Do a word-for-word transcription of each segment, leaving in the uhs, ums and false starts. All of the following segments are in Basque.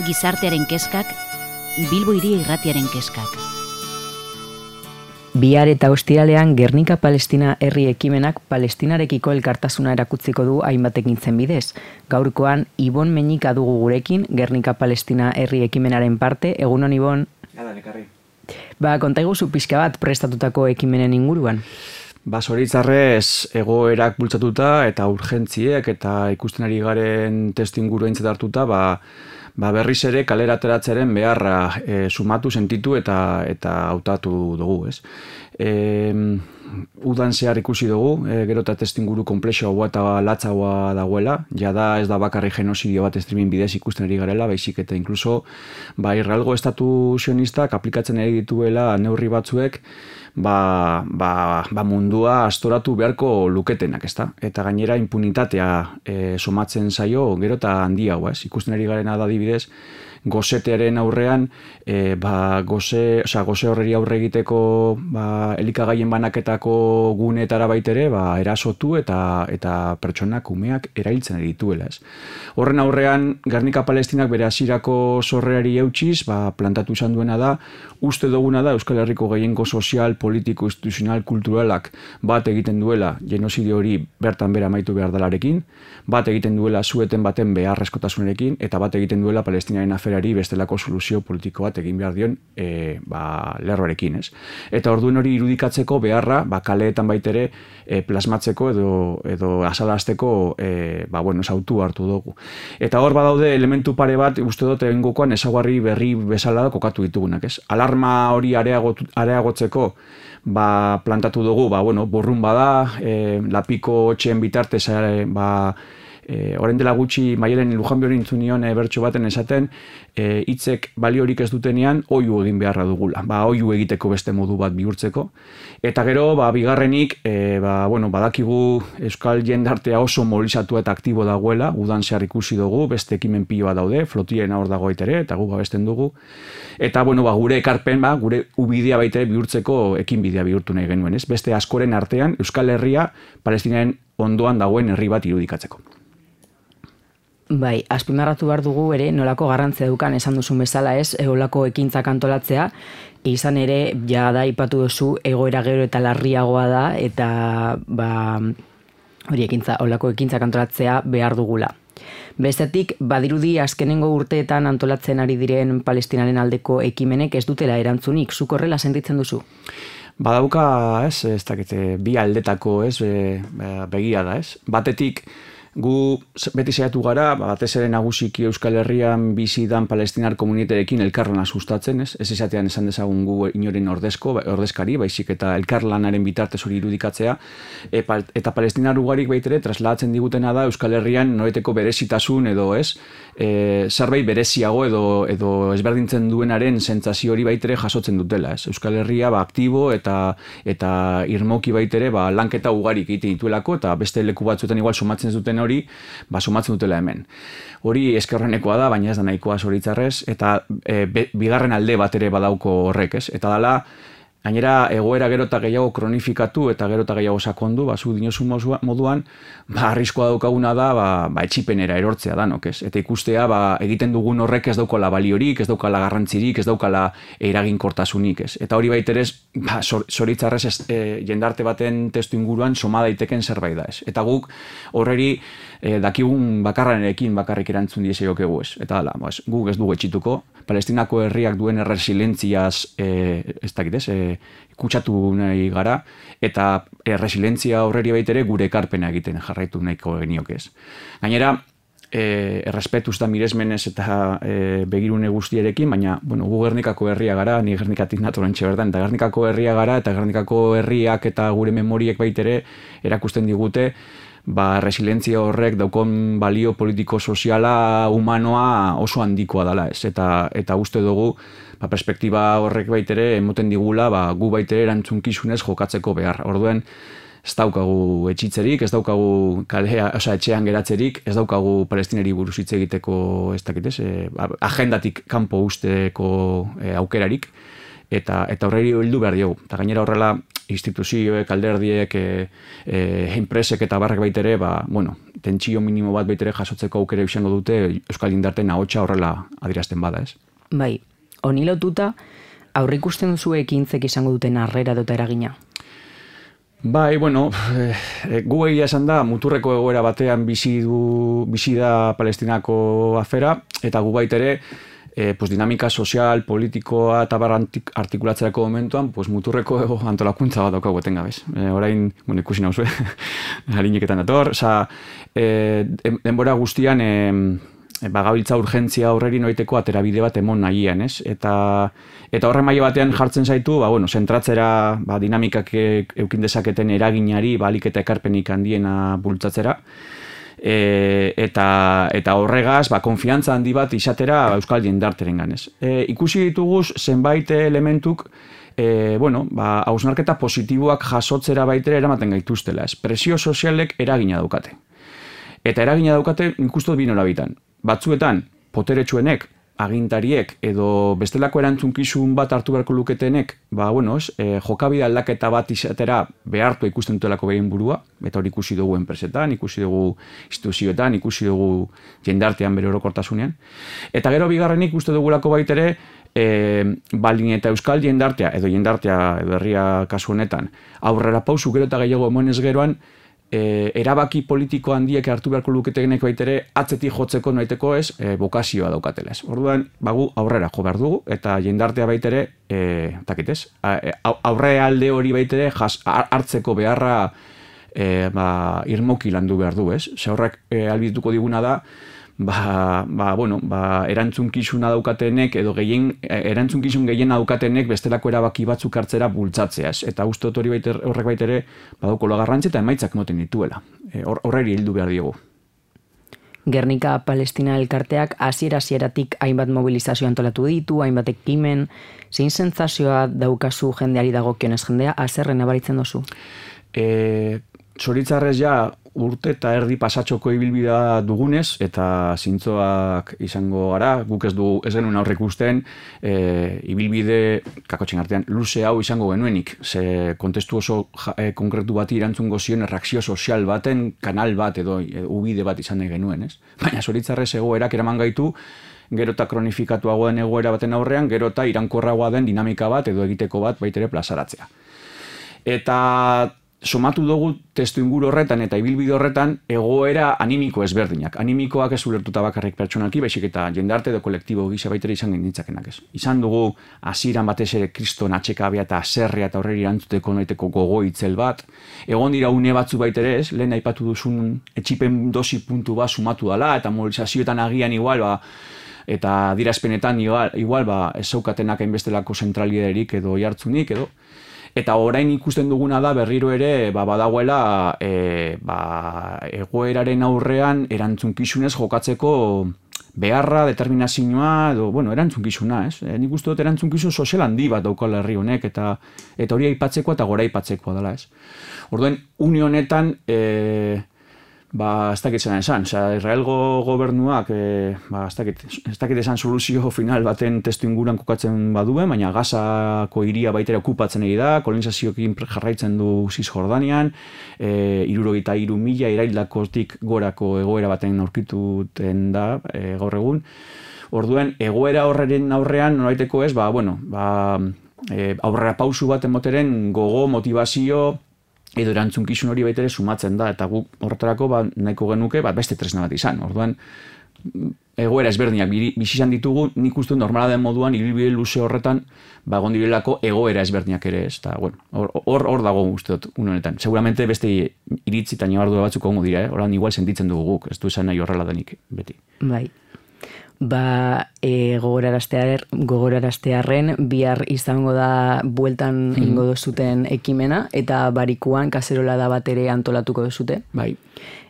gizartearen keskak, Bilbo Hiria Irratiaren keskak. Bihar eta ostiralean Gernika Palestina herri ekimenak Palestinarekiko elkartasuna erakutziko du hainbat ekintzen bidez. Gaurkoan Ibon Meñika dugu gurekin, Gernika Palestina herri ekimenaren parte. Egunon, Ibon? Gada, nekarri. Ba, kontaiguzu pixka bat prestatutako ekimenen inguruan. Ba, zoritzarrez egoerak bultzatuta eta urgentziek eta ikusten ari garen testu inguru aintzat hartuta, ba, ba berriz ere kalera ateratzearen beharra e, sumatu, sentitu eta eta hautatu dugu, ez? E, udan zehar ikusi dugu, e, gero eta testuinguru konplexoagoa eta latzagoa dagoela, jada ez da bakarri genozidio bat streaming bidez ikusten ari garela, baizik eta inkluso ba, Israelgo estatu sionistak aplikatzen ari dituela neurri batzuek ba, ba, ba mundua astoratu beharko luketenak, ezta? Eta gainera impunitatea e, somatzen zaio gero eta handiagoa, ez? Ikusten ari garena da adibidez, gozetearen aurrean, e, ba, goze, oza, goze horreri aurre egiteko ba, elikagaien banaketako guneetara baitere, ba, erasotu eta eta pertsonak umeak erailtzen dituela, ez. Horren aurrean, Gernika Palestinak bere hasierako sorreari eutsiz, ba, plantatu izan duena da, uste duguna da Euskal Herriko gehiengo sozial, politiko, instituzional, kulturalak bat egiten duela genozidio hori bertan bera amaitu behar dalarekin, bat egiten duela zueten baten beharrezkotasunarekin, eta bat egiten duela Palestinaren aferari bestelako soluzio politiko bat egin behar dion e, ba, lerroarekin, ez. Eta orduen hori irudikatzeko beharra, ba, kaleetan baitere e, plasmatzeko edo, edo asalazteko e, ba, bueno, sautu hartu dugu. Eta hor badaude elementu pare bat, uste dut egingokoan ezaguarri berri bezala da kokatu ditugunak, ez. Alarma hori areagot, areagotzeko ba, plantatu dugu, ba, bueno, borrun bada, e, lapiko txen bitartez, e, ba, E, orain dela gutxi Maialen Lujanbio hori intzunion e, bertso baten esaten, e, hitzek baliorik ez dutenean oihu egin beharra dugula. Ba, oihu egiteko beste modu bat bihurtzeko. Eta gero, ba, bigarrenik, e, ba, bueno, badakigu euskal jendartea oso mobilizatu eta aktibo dagoela, udan zehar ikusi dugu, beste ekimen piloa daude, flotilen hor dago ere, eta gu babesten dugu. Eta, bueno, ba, gure ekarpen, ba, gure ubidea baitere bihurtzeko ekin bidea bihurtu nahi genuen, ez? Beste askoren artean, Euskal Herria, Palestinaren ondoan dagoen herri bat irudikatzeko. Bai, azpimarratu behar dugu ere nolako garrantzia dukan esan duzun bezala, ez, olako ekintzak antolatzea, izan ere jada aipatu duzu egoera gero eta larriagoa da eta ba, hori ekintza, olako ekintzak antolatzea behar dugula. Bestetik, badirudi azkenengo urteetan antolatzen ari diren Palestinaren aldeko ekimenek ez dutela erantzunik, zuk horrela sentitzen duzu? Badauka, ez, ez dakite, bi aldetako, ez, begia da, ez. Batetik, gu beti saiatu gara, batez ere nagusiki Euskal Herrian bizi dan palestinar komunitateekin elkarlana sustatzen, ez? Ez esatean esan dezagun gu inoren ordezko, ordezkari, baizik eta elkarlanaren bitartez hori irudikatzea, e, eta palestinar ugarik baitere trasladatzen digutena da Euskal Herrian noreteko berezitasun edo, ez? E, zerbait bereziago edo, edo ezberdintzen duenaren sentsazio hori baitere jasotzen dutela, ez? Euskal Herria ba, aktibo eta eta irmoki baitere ba, lanketa ugarik egiten dituelako eta beste leku batzuetan igual somatzen duten hori, ba, somatzen dutela hemen. Hori eskerrenekoa da, baina ez da nahikoa zoritzarrez, eta e, be, bigarren alde bat ere badauko horrek, ez? Eta dala, gainera egoera gero eta gehiago kronifikatu eta gero eta gehiago sakondu, ba, zu dinosu moduan, ba, arriskoa daukaguna da, ba, ba, etxipenera erortzea danok, ez? Eta ikustea, ba, egiten dugun horrek ez daukala baliorik, ez daukala garrantzirik, ez daukala eraginkortasunik, ez? Eta hori baitere ez, ba, zoritzarrez ez, e, jendarte baten testu inguruan soma daiteken zerbait da, ez? Eta guk horreri e, dakigun bakarranerekin bakarrik erantzun dieseiokegu, ez? Eta hala, ba, guk ez dugu etxituko, Palestinako herriak duen erresilentziaz, e, ez dakit ez, e, kutsatu nahi gara, eta erresilientzia horreri baitere gure ekarpena egiten jarraitu nahiko geniok ez. Gainera, e, errespetuz da miresmenez eta e, begirune guztierekin, baina, bueno, gu Gernikako herria gara, ni Gernikatik naturantxe berdan, eta Gernikako herria gara, eta Gernikako herriak eta gure memoriek baitere erakusten digute, ba, resilientzia horrek daukon balio politiko soziala humanoa oso handikoa dela, ez? Eta, eta uste dugu, ba, perspektiba horrek baitere emoten digula, ba, gu baitere erantzunkizunez jokatzeko behar. Orduen, ez daukagu etxitzerik, ez daukagu kalea, oza, etxean geratzerik, ez daukagu palestineri buruz hitz egiteko, ez dakit ez, e, agendatik kanpo usteko e, aukerarik, eta eta horreri heldu behar diogu. Eta gainera horrela, instituzioek, alderdiek, e, e, enpresek eta barrak baitere, ba, bueno, tentsio minimo bat baitere jasotzeko aukera izango dute Euskal Jendarteen ahotsa horrela adierazten bada, ez? Bai, honi lotuta, aurrikusten duzu ekintzek izango duten harrera dota eragina? Bai, bueno, e, gu egia esan da, muturreko egoera batean bizi du, bizi da Palestinako afera, eta gu baitere, e, pues, dinamika sozial, politikoa eta barra artikulatzerako momentuan, pues, muturreko ego antolakuntza bat daukagu etengabez. E, orain, bueno, ikusi nauzue, harineketan dator, oza, e, denbora guztian, e, bagabiltza urgentzia aurreri noiteko aterabide bat emon nahian, ez? Eta, eta horren maila batean jartzen zaitu, ba, bueno, zentratzera, ba, dinamikak eukin dezaketen eraginari, ba, alik eta ekarpenik handiena bultzatzera, e, eta, eta horregaz, ba, konfiantza handi bat izatera Euskal Jendarteren ganez. E, ikusi dituguz zenbait elementuk, e, bueno, ba, hausnarketa positiboak jasotzera baitere eramaten gaituztela, ez? Presio sozialek eragina daukate. Eta eragina daukate nik uste dut bi norabitan. Batzuetan, poteretsuenek, agintariek edo bestelako erantzunkizun bat hartu beharko luketenek, ba, bueno, ez, e, jokabide aldaketa bat izatera behartu ikusten dutelako behien burua, eta hori ikusi dugu enpresetan, ikusi dugu instituzioetan, ikusi dugu jendartean bere orokortasunean. Eta gero bigarrenik uste dugulako baitere, e, baldin eta Euskal jendartea, edo jendartea edo herria kasu honetan, aurrera pausu gero eta gehiago emonez geroan, E, erabaki politiko handiek hartu beharko luketenek baitere atzetik jotzeko noiteko ez, e, bokazioa daukatela ez. Orduan, bagu aurrera jo behar dugu, eta jendartea baitere, e, takitez, aurre alde hori baitere jas, hartzeko beharra e, ba, irmoki landu behar du ez. Ze horrek e, albituko diguna da, ba, ba, bueno, ba, erantzunkizuna daukatenek edo gehien, erantzunkizun gehien daukatenek bestelako erabaki batzuk hartzera bultzatzeaz. Eta uste dut hori baiter, horrek baitere badauko garrantzi eta emaitzak moten dituela. E, horreri heldu behar diogu. Gernika Palestina elkarteak hasiera-hasieratik hainbat mobilizazio antolatu ditu, hainbat ekimen, zein sentsazioa daukazu jendeari dagokionez, jendea haserre nabaritzen duzu? E, Zoritzarrez ja urte eta erdi pasatxoko ibilbidea dugunez, eta zintzoak izango gara, guk ez du ez genuen aurre ikusten, e, ibilbide, kakotxen artean, luze hau izango genuenik, ze kontestu oso ja, e, konkretu bati erantzungo zion erreakzio sozial baten kanal bat edo, edo ubide bat izan genuen, ez? Baina zoritzarrez egoerak eraman gaitu, gero eta kronifikatuago den egoera baten aurrean, gero eta irankorragoa den dinamika bat edo egiteko bat baitere plazaratzea. Eta somatu dugu testu inguru horretan eta ibilbide horretan egoera animiko ezberdinak. Animikoak ez ulertuta bakarrik pertsonalki, baizik eta jendarte edo kolektibo gisa baitere izan genitzakenak ez. Izan dugu hasieran batez ere kriston atxekabea eta aserrea eta horreri erantzuteko noiteko gogo itzel bat. Egon dira une batzu baitere ez, lehen aipatu duzun etxipen dosi puntu bat sumatu dala eta mobilizazioetan agian igual, ba, eta dirazpenetan igual, igual ba, ez zaukatenak hainbestelako zentraliderik edo jartzunik edo. Eta orain ikusten duguna da berriro ere ba, badagoela e, ba, egoeraren aurrean erantzunkizunez jokatzeko beharra, determinazioa, edo, bueno, erantzunkizuna, ez? E, nik uste dut erantzunkizun sozial handi bat daukala herri honek, eta, eta hori aipatzeko eta gora aipatzekoa dela, ez? Orduan, une honetan, e, ba, ez dakit zelan esan, oza, Israelgo gobernuak, e, ba, ez dakit, ez dakit esan soluzio final baten testu inguran kokatzen baduen, baina Gazako hiria baitera okupatzen egi da, kolonizazioekin jarraitzen du Cisjordanian, e, irurogeita hiru mila iraildakotik gorako egoera baten aurkituten da e, gaur egun. Orduan, egoera horren aurrean, noraiteko ez, ba, bueno, ba, e, aurrera pausu bat emoteren gogo, motivazio, edo erantzunkizun hori baitere sumatzen da, eta guk horretarako ba, nahiko genuke bat beste tresna bat izan. Orduan, egoera ezberdinak bizi izan ditugu, nik uste normala den moduan, ibilbide luze horretan, ba, egon direlako egoera ezberdinak ere ez. Eta, bueno, hor, hor dago uste dut, honetan. Seguramente beste iritzi eta nabardura batzuk ongo dira, eh? Horan igual sentitzen dugu guk, ez du esan nahi horrela denik, beti. Bai. Ba, e, gogoraraztear, gogoraraztearren bihar izango da bueltan mm. ingo dozuten ekimena, eta barikuan kaserola da bat ere antolatuko dozute. Bai.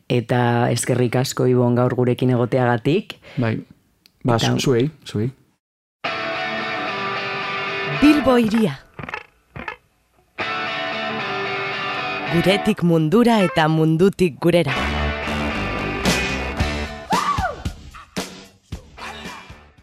Eta eskerrik asko Ibon gaur gurekin egoteagatik. Bai, ba, eta... zuei, zuei. Bilbo hiria. Guretik mundura eta mundutik gurera.